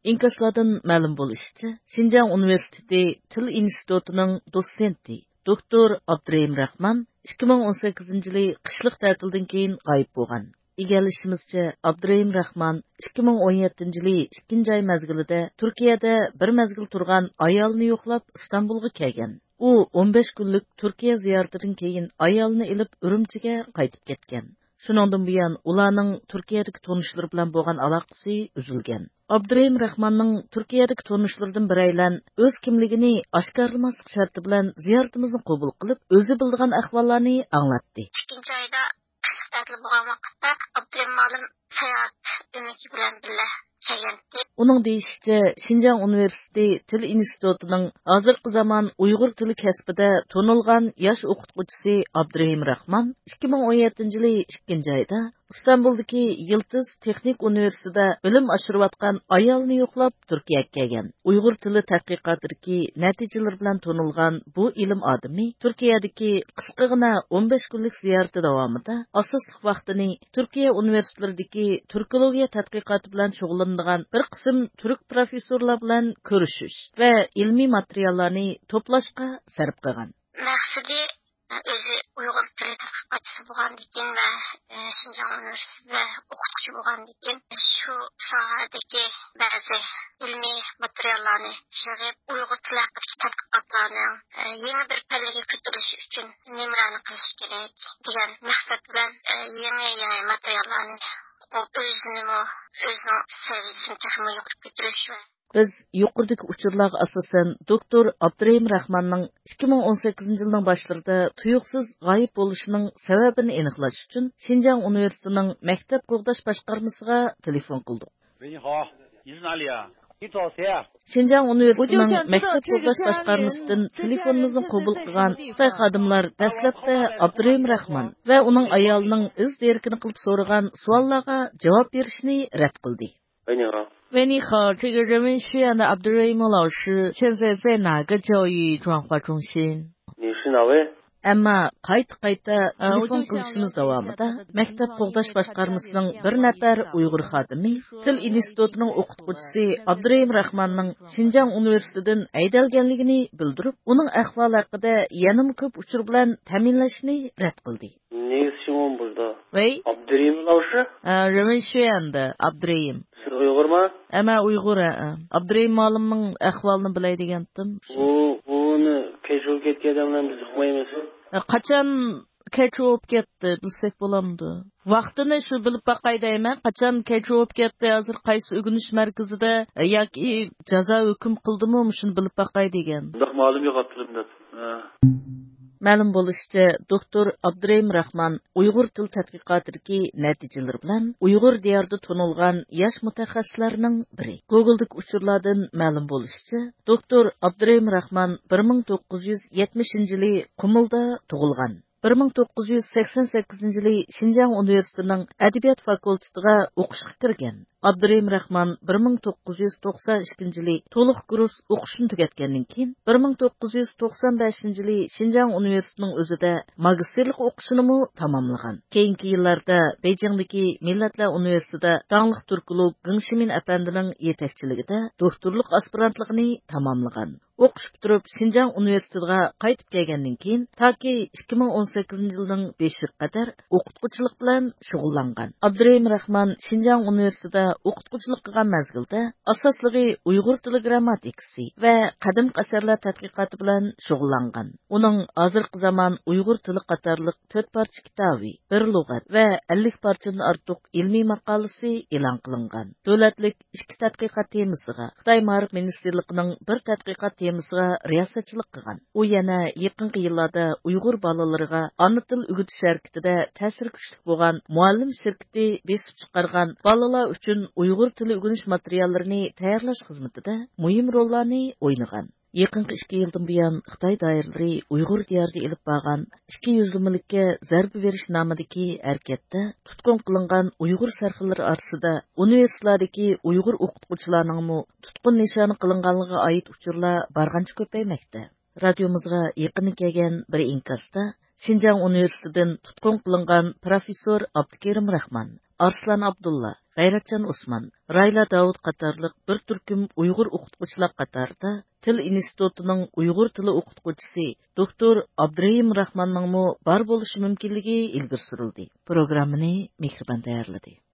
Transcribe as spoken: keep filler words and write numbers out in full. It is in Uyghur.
ئىنكاسلاردىن مەلۇم بولۇشىچە، شىنجاڭ ئۇنىۋېرسىتېتى تىل ئىنستىتۇتىنىڭ دوتسېنتى، دوكتور ئابدۇرېھىم راخمان ئىككى مىڭ ئون سەككىزىنچى يىلى قىشلىق تەتىلدىن كېيىن غايىب بولغان. ئىگىلىشىمىزچە، ئابدۇرېھىم راخمان ئىككى مىڭ ئون يەتتىنچى يىلى ئىككىنچى ئاي مەزگىلىدە تۈركىيەدە بىر مەزگىل تۇرغان ئايالىنى يوقلاپ ئىستانبۇلغا كەلگەن. ئۇ ئون بەش كۈنلۈك تۈركىيە زىيارىتىدىن كېيىن ئايالىنى ئېلىپ ئۈرۈمچىگە قايتىپ كەتكەن. شۇنىڭدىن بۇيان ئۇلارنىڭ تۈركىيەدىكى تونۇشلىرى بىلەن بولغان ئالاقىسى ئۈزۈلگەن. ئابدۇرېھىم راخماننىڭ تۈركىيەدىكى تونۇشلىرىدىن بىرەيلەن ئۆز كىملىكىنى ئاشكارىلىماسلىق شەرتى بىلەن زىيارىتىمىزنى قوبۇل قىلىپ، ئۆزى بىلىدىغان ئەھۋاللارنى ئاڭلاتتى. ئىككىنچى ئايدا قىشلىق تەتىل بولغان ۋاقىتتا ئابدۇرېھىم مۇئەللىم ساياھەت ئۆمىكى بىلەن بىللە كەلگەنىدى. ئۇنىڭ دېيىشىچە، شىنجاڭ ئۇنىۋېرسىتېتى تىل ئىنستىتۇتىنىڭ ھازىرقى زامان ئۇيغۇر تىلى كەسپىدە تونۇلغان ياش ئوقۇتقۇچىسى ئابدۇرېھىم راخمان ئىككى مىڭ ئون يەتتىنچى يىلى ئىككىنچى ئايدا ئىستانبۇلدىكى يىلتىز تېخنىك ئۇنىۋېرسىتېتىدا بىلىم ئاشۇرۇۋاتقان ئايالىنى يوقلاپ تۈركىيەگە كەلگەن. ئۇيغۇر تىلى تەتقىقاتىدىكى نەتىجىلىرى بىلەن تونۇلغان بۇ ئىلىم ئادىمى تۈركىيەدىكى قىسقىغىنا ئون بەش كۈنلۈك زىيارىتى داۋامىدا ئاساسلىق ۋاقتىنى تۈركىيە ئۇنىۋېرسىتېتلىرىدىكى تۈركولوگىيە تەتقىقاتى بىلەن شۇغۇللىنىدىغان بىر قىسىم تۈرك پروفېسسورلار بىلەن كۆرۈشۈش ۋە ئىلمىي ماتېرىياللارنى توپلاشقا سەرپ قىلغان. مەقسىتى، ئۆزى ئۇيغۇر تىلى تەتقىقاتچىسى بولغاندىكىن ۋە، ئە، شىنجاڭ ئۇنىۋېرسىتېتىدا ئوقۇتقۇچى بولغاندىكىن، شۇ ساھەدىكى بەزى ئىلمىي ماتېرىياللارنى يىغىپ، ئۇيغۇر تىلى ھەققىدىكى تەتقىقاتلارنىڭ، ئە، يېڭى بىر پەللىگە كۆتۈرۈلۈشى ئۈچۈن نېمىلەرنى قىلىش كېرەك دېگەن مەقسەت بىلەن، ئە، يېڭى، يېڭى ماتېرىياللارنى ئوقۇپ، ئۆزىنىمۇ، ئۆزىنىڭ سەۋىيەسىنى تېخىمۇ يۇقىرى كۆتۈرۈش ۋە بىز يۇقىرىدىكى ئۇچۇرلارغا ئاساسەن، دوكتور ئابدۇرېھىم راخماننىڭ ئىككى مىڭ ئون سەككىزىنچى يىلنىڭ باشلىرىدا تۇيۇقسىز غايىب بولۇشىنىڭ سەۋەبىنى ئېنىقلاش ئۈچۈن شىنجاڭ ئۇنىۋېرسىتېتىنىڭ مەكتەپ قوغداش باشقارمىسىغا تېلېفون قىلدۇق. 喂，你好，你是哪里啊？你找谁啊？ شىنجاڭ ئۇنىۋېرسىتېتىنىڭ مەكتەپ قوغداش باشقارمىسىدىن تېلېفونىمىزنى قوبۇل قىلغان خىتاي خادىملار دەسلەپتە ئابدۇرېھىم راخمان ۋە ئۇنىڭ ئايالىنىڭ ئىز دېرىكىنى قىلىپ سورىغان سوئاللارغا جاۋاب بېرىشنى رەت قىلدى. 喂，你好。喂，你好，这个人文学院的 Abdurrahim 老师现在在哪个教育转化中心？你是哪位？ ئەمما قايتا-قايتا تېلېفون قىلىشىمىز داۋامىدا مەكتەپ قوغداش باشقارمىسىنىڭ بىر نەپەر ئۇيغۇر خادىمى تىل ئىنستىتۇتىنىڭ ئوقۇتقۇچىسى ئابدۇرېھىم راخماننىڭ شىنجاڭ ئۇنىۋېرسىتېتىدىن ھەيدەلگەنلىكىنى بىلدۈرۈپ، ئۇنىڭ ئەھۋالى ھەققىدە يەنىمۇ كۆپ ئۇچۇر بىلەن تەمىنلەشنى رەت قىلدى. 你是问不是的。 喂。 Abdurrahim 老师？ ئە، 人文学院的 Abdurrahim. 是 Uyghur 吗？ ئە، مەن ئۇيغۇر، ئە، ئە. ئابدۇرېھىم مۇئەللىمنىڭ ئەھۋالىنى بىلەي دېگەنتىم. ئۇ، ئۇنى كەچ بولۇپ كەتكەن ئادەملەرنى بىز ئۇقمايمىز. ئە، قاچان كەچ بولۇپ كەتتى، بىلسەك بولامدۇ؟ ۋاقتىنى شۇ بىلىپ باقاي دەيمەن. قاچان كەچ بولۇپ كەتتى، ھازىر قايسى ئۆگىنىش مەركىزىدە، ئە، ياكى جازا ھۆكۈم قىلدىمۇ، مۇشۇنى بىلىپ باقاي دېگەن. بۇنداق مەلۇم يوق ئابدۇرېھىم دەپ. ھە. مەلۇم بولۇشىچە، دوكتور ئابدۇرېھىم راخمان ئۇيغۇر تىل تەتقىقاتىدىكى نەتىجىلىرى بىلەن ئۇيغۇر دىيارىدا تونۇلغان ياش مۇتەخەسسىسلەرنىڭ بىرى. گوگولدىكى ئۇچۇرلاردىن مەلۇم بولۇشىچە، دوكتور ئابدۇرېھىم راخمان بىر مىڭ توققۇز يۈز يەتمىشىنچى يىلى قۇمۇلدا تۇغۇلغان. بىر مىڭ توققۇز يۈز سەكسەن سەككىزىنچى يىلى شىنجاڭ ئۇنىۋېرسىتېتىنىڭ ئەدەبىيات فاكۇلتېتىغا ئوقۇشقا كىرگەن. ئابدۇرېھىم راخمان بىر مىڭ توققۇز يۈز توقسان ئىككىنچى يىلى تولۇق كۇرس ئوقۇشىنى تۈگەتكەندىن كېيىن، بىر مىڭ توققۇز يۈز توقسان بەشىنچى يىلى شىنجاڭ ئۇنىۋېرسىتېتىنىڭ ئۆزىدە ماگىستىرلىق ئوقۇشىنىمۇ تاماملىغان. كېيىنكى يىللاردا بېيجىڭدىكى مىللەتلەر ئۇنىۋېرسىتېتىدا داڭلىق تۈركولوگ گېڭ شىمىن ئەپەندىنىڭ يېتەكچىلىكىدە دوكتورلۇق ئاسپىرانتلىقىنى تاماملىغان. ئوقۇش پۈتتۈرۈپ، شىنجاڭ ئۇنىۋېرسىتېتىغا قايتىپ كەلگەندىن كېيىن، تاكى ئىككى مىڭ ئون سەككىزىنچى يىلنىڭ بېشىغا قەدەر ئوقۇتقۇچىلىق بىلەن شۇغۇللانغان. ئابدۇرېھىم راخمان شىنجاڭ ئۇنىۋېرسىتېتىدا ئوقۇتقۇچىلىق قىلغان مەزگىلدە، ئاساسلىقى ئۇيغۇر تىلى گىرامماتىكىسى ۋە قەدىمكى ئەسەرلەر تەتقىقاتى بىلەن شۇغۇللانغان. ئۇنىڭ ھازىرقى زامان ئۇيغۇر تىلى قاتارلىق تۆت پارچە كىتابى، بىر لۇغەت ۋە ئەللىك پارچىدىن ئارتۇق ئىلمىي ماقالىسى ئېلان قىلىنغان. دۆلەتلىك ئىككى تەتقىقات تېمىسىغا، خىتاي مائارىپ مىنىستىرلىقىنىڭ بىر تەتقىقات تېمىسىغا رىياسەتچىلىك قىلغان. ئۇ يەنە يېقىنقى يىللاردا ئۇيغۇر بالىلىرىغا ئانا تىل ئۆگىتىش ھەرىكىتىدە تەسىرى كۈچلۈك بولغان مۇئەللىم شىركىتى بېسىپ چىقارغان بالىلار ئۈچۈن ئۇيغۇر تىلى ئۆگىنىش ماتېرىياللىرىنى تەييارلاش خىزمىتىدە مۇھىم روللارنى ئوينىغان. يېقىنقى ئىككى يىلدىن بۇيان خىتاي دائىرىلىرى ئۇيغۇر دىيارىدا ئېلىپ بارغان ئىككى يۈزلىمىلىككە زەربە بېرىش نامىدىكى ھەرىكەتتە تۇتقۇن قىلىنغان ئۇيغۇر سەرخىللىرى ئارىسىدا ئۇنىۋېرسىتېتلاردىكى ئۇيغۇر ئوقۇتقۇچىلارنىڭمۇ تۇتقۇن نىشانى قىلىنغانلىقىغا ئائىت ئۇچۇرلار بارغانچە كۆپەيمەكتە. رادىيومىزغا يېقىندا كەلگەن بىر ئىنكاستا شىنجاڭ ئۇنىۋېرسىتېتىدىن تۇتقۇن قىلىنغان پروفېسسور ئابدۇكېرىم راخمان، ئارسلان ئابدۇللا، غەيرەتجان ئوسمان، رايلا داۋۇت قاتارلىق بىر تۈركۈم ئۇيغۇر ئوقۇتقۇچىلار قاتارىدا تىل ئىنستىتۇتىنىڭ ئۇيغۇر تىلى ئوقۇتقۇچىسى دوكتور ئابدۇرېھىم راخماننىڭمۇ بار بولۇشى مۇمكىنلىكى ئىلگىرى سۈرۈلدى. پروگراممىنى مېھرىبان تەييارلىدى.